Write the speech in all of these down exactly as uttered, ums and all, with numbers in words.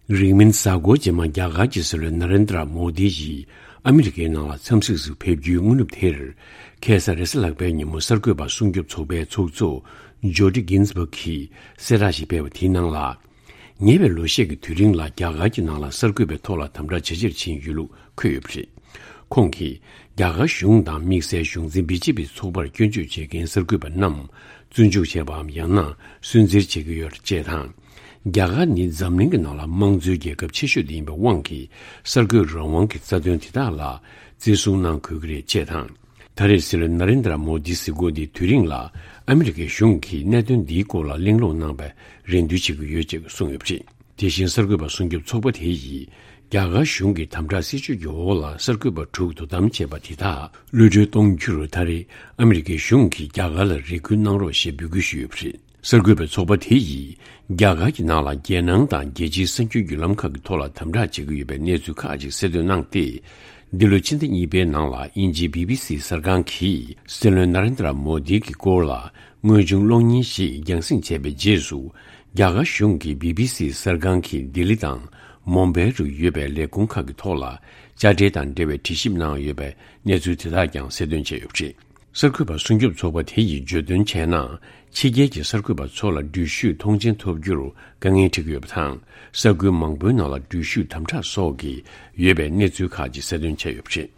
རིང་མིན་གཟའ་འཁོར་རྗེས་མ་རྒྱ་གར་གྱི་སྲིད་བློན་ན་རེན་དྲ་མོ་དི་ཡིས་ཨ་མི་རི་ཀའི་ནང་ལ་འཚམས་གཟིགས་སུ་ཕེབས་རྒྱུའི་སྔ་ནུབ་དེར། ཁ་སང་རེས་གཟའ་ལྷག་པའི་ཉིན་མོ་གསར་འགོད་པ་སྲུང་སྐྱོབ་ཚོགས་པའི་ཚོགས་གཙོ་ཇོ་ཌི་གིན་སྦག་གིས་གསལ་བསྒྲགས་ཤིག་སྤེལ་བ་དེའི་ནང་ལ། ཉེ་བའི་ལོ་ཤས་ཀྱི་དུས་རིང་ལ་རྒྱ་གར་གྱི་ནང་ལ་གསར་འགོད་པའི་ཐོག་ལ་དམ་དྲག་ཇེ་ཆེར་ཕྱིན་ཡོད་ལུགས་འཁོད་ཡོད་པ་རེད། ཁོང་གིས་རྒྱ་གར་གཞུང་དང་དམིགས་བསལ་གཞུང་འཛིན་བི་ཇེ་པི་ཚོགས་པར་སྐྱོན་བརྗོད་བྱེད་མཁན་གསར་འགོད་པ་རྣམས་བཙོན་འཇུག་བྱས་པའམ་ཡང་ན་སུན་གཙེར་བྱེད་ཀྱི་ཡོད་ཅེས་དང་། རྒྱ་གར་ནི་འཛམ་གླིང་གི་ནང་ལ་དམངས་གཙོའི་རྒྱལ་ཁབ་ཆེ་ཤོས་དེ་ཡིན་པའི་དབང་གིས་གསར་འགོད་རང་དབང་གི་རྩ་དོན་དེ་དག་ལ་བརྩི་སྲུང་གནང་དགོས་ཀྱི་རེད་ཅེས་དང་། ད་རེས་སྲིད་བློན་ན་རེན་དྲ་མོ་དིའི་གཟིགས་སྐོར་འདིའི་དུས་རིང་ལ་ཨ་མི་རི་ཀའི་གཞུང་གིས་གནད་དོན་འདིའི་སྐོར་ལ་གླེང་སློང་གནང་བའི་རེ་འདུན་བྱེད་ཀྱི་ཡོད་ཅེས་གསུངས་ཡོད་པ་རེད། དེ་བཞིན་གསར་འགོད་པ་སྲུང་སྐྱོབ་ཚོགས་པ་དེ་ཡིས་རྒྱ་གར་གཞུང་གི་དམ་དྲག་སྲིད་བྱུས་ཀྱི་འོག་ལ་གསར་འགོད་པ་དྲུག་དོ་དམ་བྱས་པ་དེ་དག་གློད་གྲོལ་གཏོང་རྒྱུར་ད་རེས་ཨ་མི་རི་ཀའི་གཞུང་གིས་རྒྱ་གར་ལ་རེ་སྐུལ་གནང་རོགས་ཞེས་འབོད་སྐུལ་ཞུས་ཡོད་པ་རེད། གསར་འགོད་པའི་ཚོགས་པ་དེ་ཡིས་རྒྱ་གར་གྱི་ནང་ལ་རྒྱལ་ནང་དང་རྒྱལ་སྤྱིའི་གསར་འགྱུར་བརྒྱུད་ལམ་ཁག་གི་ཐོག་ལ་དམ་དྲག་བྱེད་ཀྱི་ཡོད་པའི་གནས་ཚུལ་ཁག་ཅིག་གསལ་འདོན་གནང་སྟེ། འདི་ལོའི་ཕྱི་ཟླ་གཉིས་པའི་ནང་ལ་དབྱིན་ཇིའི་བི་བི་སི་གསར་ཁང་གིས་སྲིད་བློན་ན་རེན་དྲ་མོ་དི་གི་སྐོར་ལ་དངོས་བྱུང་གློག་བརྙན་ཞིག་རྒྱང་སྲིང་བྱས་པའི་རྗེས་སུ། རྒྱ་གར་གཞུང་གིས་བི་བི་སི་གསར་ཁང་གིས་ལྡི་ལི་དང་མུམ་བྷའི་རུ་ཡོད་པའི་ལས་ཁུངས་ཁག་གི་ཐོག་ལ་དཔྱ་ཁྲལ་དང་འབྲེལ་བའི་དྲི་ཞིབ་གནང་ཡོད་པའི་གནས་ཚུལ་དེ་དག་ཀྱང་གསལ་སྟོན་བྱས་ཡོད་པ་རེད། གསར་འགོད་པ་སྲུང་སྐྱོབ་ཚོགས་པ་དེ་ཡིས་བརྗོད་དོན་བྱས་ན། ཕྱི་རྒྱལ་གྱི་གསར་འགོད་པ་ཚོ་ལ་འགྲུལ་བཞུད་ཐོངས་མཆན་ཐོབ་རྒྱུར་དཀའ་ངལ་འཕྲད་ཀྱི་ཡོད་པ་དང་། ས་ཁུལ་མང་པོའི་ནང་ལ་འགྲུལ་བཞུད་དམ་དྲག་སོགས་ཀྱི་ཡོད་པའི་གནས་ཚུལ་ཁག་ཅིག་གསལ་སྟོན་བྱས་ཡོད་པ་རེད།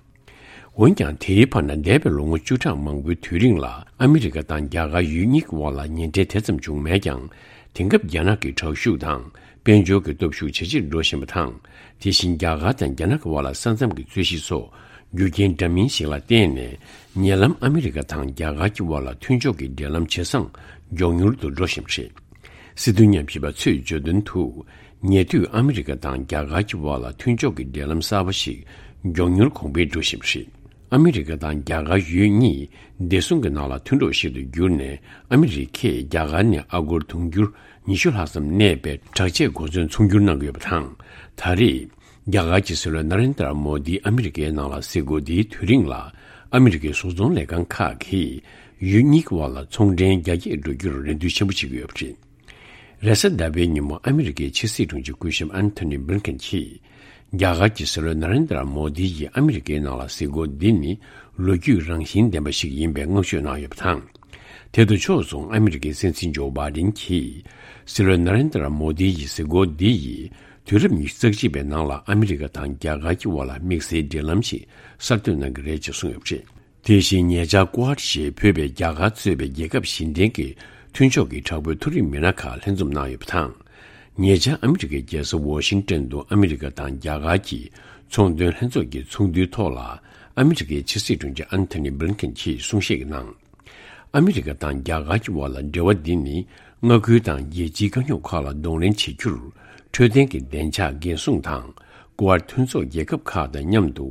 འོན་ཀྱང་། དེའི་བར་ན་འདས་པའི་ལོ་ངོ་བཅུ་ཕྲག་མང་པོའི་དུས་རིང་ལ་ཨ་མི་རི་ཀ་དང་རྒྱ་གར་ཡུལ་གཉིས་ཀྱི་དབར་ལ་ཉེ་འབྲེལ་དེ་ཙམ་བྱུང་མེད་ཀྱང་། དེང་སྐབས་རྒྱ་ནག་གི་དྲག་ཤུགས་དང་། དཔལ་འབྱོར་གྱི་སྟོབས་ཤུགས་ཇེ་ཆེར་འགྲོ་བཞིན་པ་དང་། དེ་བཞིན་རྒྱ་གར་དང་རྒྱ་ནག་གི་དབར་ལ་ས་མཚམས་ཀྱི་རྩོད་གཞི་སོགས་རྒྱུ་རྐྱེན་འདྲ་མིན་ཞིག་ལ་བརྟེན་ནས། ཉེ་ལམ་ཨ་མི་རི་ཀ་དང་རྒྱ་གར་གྱི་དབར་ལ་མཐུན་ཕྱོགས་ཀྱི་འབྲེལ་ལམ་ཇེ་བཟང་མགྱོགས་མྱུར་དུ་འགྲོ་བཞིན་པ་རེད། སྲིད་དོན་ཉམས་ཞིབ་པ་ཚོས་བརྗོད་དོན་དུ། ཉེ་དུས་ཨ་མི་རི་ཀ་དང་རྒྱ་གར་གྱི་དབར་ལ་མཐུན་ཕྱོགས་ཀྱི་འབྲེལ་ལམ་གསར་པ་ཞིག་མགྱོགས་མྱུར་གོང་འཕེལ་འགྲོ་བཞིན་པ་རེད། ཨ་མི་རི་ཀ་དང་རྒྱ་གར་ཡུལ་གཉིས་བདེ་སྲུང་གི་ནང་ལ་མཐུན་གྲོགས་ཤིག་ཏུ་གྱུར་ནས། ཨ་མི་རི་ཀས་རྒྱ་གར་ནས་ཨ་སྒོར་དུང་ཕྱུར་ཉི་ཤུ་ལྷག་ཙམ་གནས་པའི་དྲག་ཆས་གོ་མཚོན་ཚོང་སྒྱུར་གནང་གི་ཡོད་པ་དང་། ད་རེས། རྒྱ་གར་གྱི་སྲིད་བློན་ན་རེན་དྲ་མོ་དི་ཨ་མི་རི་ཀའི་ནང་ལ་གཟིགས་སྐོར་འདིའི་དུས་རིང་ལ། ཨ་མི་རི་ཀའི་བཟོ་ཚོང་ལས་ཁང་ཁག་གིས་ཡུལ་གཉིས་ཀྱི་དབར་ལ་ཚོང་འབྲེལ་རྒྱ་སྐྱེད་འགྲོ་རྒྱུར་རེ་འདུན་ཆེན་པོ་བྱེད་ཀྱི་ཡོད་པ་རེད། རེས་གཟའ་ཟླ་བའི་ཉིན་མོ་ཨ་མི་རི་ཀའི་ཕྱི་སྲིད་དྲུང་ཆེ་སྐུ་ཞབས་ཨན་ཐོ་ནི་བྷིལ་ཁིན་གྱིས། རྒྱ་གར་གྱི་སྲིད་བློན་ན་རེན་དྲ་མོ་དི་ཡིས་ཨ་མི་རི་ཀའི་ནང་ལ་གཟིགས་སྐོར་འདི་ནི་ལོ་རྒྱུས་རང་བཞིན་ལྡན་པ་ཞིག་ཡིན་པའི་བསྔགས་བརྗོད་གནང་ཡོད་པ་དང་། དེ་དང་ཕྱོགས་མཚུངས་ཨ་མི་རི་ཀའི་སྲིད་འཛིན་ཇོ་བྷའི་ཌེན་གྱིས། སྲིད་བློན་ན་རེན་དྲ་མོ་དི་ཡི་གཟིགས་སྐོར་འདི་ཡིས་དུས་རབས་ཉི་ཤུ་རྩ་གཅིག་པའི་ནང་ལ་ཨ་མི་རི་ཀ་དང་རྒྱ་གར་གྱི་དབར་ལ་དམིགས་བསལ་འབྲེལ་ལམ་ཞིག་གསར་གཏོད་གནང་གི་རེད་ཅེས་གསུངས་ཡོད་པ་རེད། དེ་བཞིན་ཉེ་ཆར་ཀུ་ཨེཌ་ཞེས་འབོད་པའི་རྒྱ་གར་གཙོས་པའི་རྒྱལ་ཁབ་བཞི་ལྡན་གྱི་མཐུན་ཕྱོགས་ཀྱི་དྲག་པོའི་མཐོ་རིམ་མི་སྣ་ཁག་ལྷན་འཛོམས་གནང་ཡོད་པ་དང་། ཉེ་ཆར་ཨ་མི་རི་ཀའི་རྒྱལ་ས་ཝོ་ཤིང་ཏོན་དུ་ཨ་མི་རི་ཀ་དང་རྒྱ་གར་གྱི་ཚོང་དོན་ལྷན་ཚོགས་ཀྱི་ཚོགས་འདུའི་ཐོག་ལ་ཨ་མི་རི་ཀའི་ཕྱི་སྲིད་དྲུང་ཆེ་ཨན་ཐོ་ནི་བྷི་ལིན་ཀེན་གྱིས་གསུང་བཤད་གནང་། ཨ་མི་རི་ཀ་དང་རྒྱ་གར་གྱི་དབར་ལ་འབྲེལ་བ་འདི་ནི་མངའ་ཁུལ་དང་རྒྱལ་སྤྱིའི་དཀའ་རྙོག་ཁག་ལ་གདོང་ལེན་བྱེད་རྒྱུར་འཕྲོད་བསྟེན་གྱི་བདེ་འཇགས་འགན་སྲུང་དང་། ཀུ་ཨེཌ་མཐུན་ཚོགས་རྒྱལ་ཁབ་ཁག་དང་མཉམ་དུ་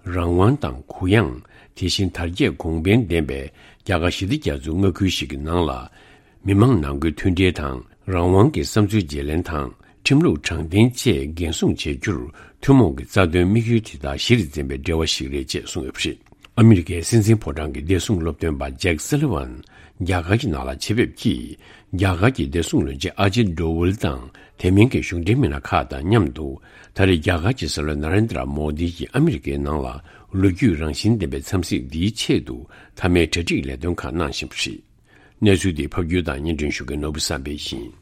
རང་དབང་དང་གུ་ཡངས། དེ་བཞིན་དར་རྒྱས་གོང་འཕེལ་ལྡན་པའི་རྒྱ་གར་ཞི་བདེ་རྒྱ་མཚོའི་མངའ་ཁུལ་ཞིག་གི་ནང་ལ། མི་དམངས་ནང་ཁུལ་མཐུན་སྒྲིལ་དང་། རང་དབང་གི་བསམ་ཚུལ་བརྗེ་ལེན་དང་། ཁྲིམས་ལུགས་དྲང་བདེན་བཅས་འགན་སྲུང་བྱེད་རྒྱུར་ཐུན་མོང་གི་རྩ་དོན་དམིགས་ཡུལ་དེ་དག་གཞིར་འཛིན་པའི་འབྲེལ་བ་ཞིག་རེད་ཅེས་གསུངས་ཡོད་པ་རེད། ཨ་མི་རི་ཀའི་སྲིད་འཛིན་ཕོ་བྲང་གི་བདེ་སྲུང་སློབ་སྟོན་པ་ཇེག་སཱ་ལི་ཝན་རྒྱ་གར་གྱི་ནང་ལ་ཆེད་ཕེབས་ཀྱིས། རྒྱ་གར་གྱི་བདེ་སྲུང་བློན་ཆེན་ཨ་ཇིད་ཌོ་ཝལ་དང་དེ་མིན་གྱི་གཞུང་འབྲེལ་མི་སྣ་ཁག་དང་མཉམ་དུ། ད་རེས་རྒྱ་གར་གྱི་སྲིད་བློན་ན་རེན་དྲ་མོ་དི་ཡིས་ཨ་མི་རི་ཀའི་ནང་ལ་ལོ་རྒྱུས་རང་བཞིན་ལྡན་པའི་འཚམས་གཟིགས་འདིའི་ཆེད་དུ་མཐའ་མའི་གྲ་སྒྲིག་ལས་དོན་ཁག་གནང་བཞིན་པ་རེད། གནས་ཚུལ་འདི་ཕབ་སྒྱུར་དང་སྙན་སྒྲོན་ཞུ་མཁན་ནོར་བུ་བསམ་འཕེལ་ཡིན།